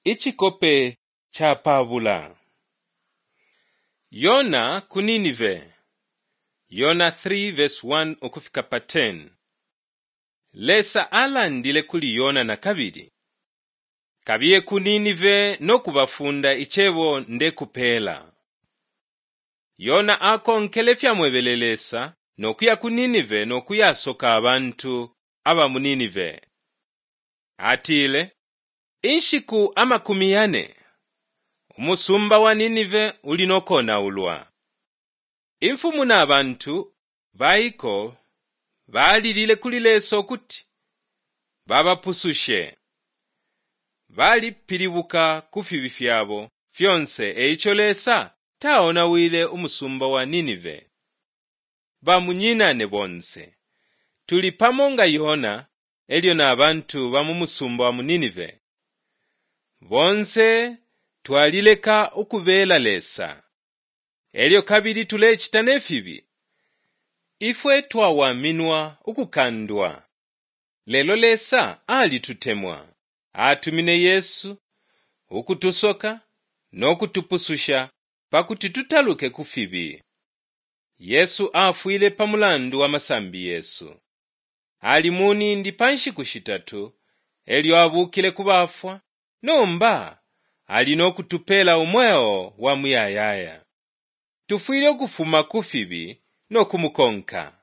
Icikope ca pabula. Yona ku Ninive. Yona 3 verse 1 ukufika pa 10. Lesa alandile kuli Yona na kabili. Kabiye ku Ninive no kubafunda icebo ndekupeela. Yona akonkele ifyamwebele Lesa no kuya ku Ninive no kuyasoka abantu aba mu Ninive. Atile, Inshiku 40 umusumba wa Ninive uli no konaulwa. Imfumu na bantu baiko balilile kuli Lesa ukuti babapusushe. Balipilibuka ku fibi fyabo fyonse e ico Lesa taonawile umusumba wa Ninive. Bamunyinane bonse, tuli pamo nga Yona e lyo na bantu ba mu musumba wa mu Ninive. Bonse twalileka ukubela Lesa, e lyo kabili tulecita ne fibi. Ifwe twawaminwa ukukandwa. Lelo Lesa alitutemwa. Atumine Yesu ukutusoka no kutupususha pa kuti tutaluke ku fibi. Yesu afwile pa mulandu wa masambi yesu. Ali mu nindi pa nshiku shitatu, e lyo abuukile ku bafwa, nomba ali no kutupeela umweo wa muyayaya. Tufwile ukufuma ku fibi no kumukonka.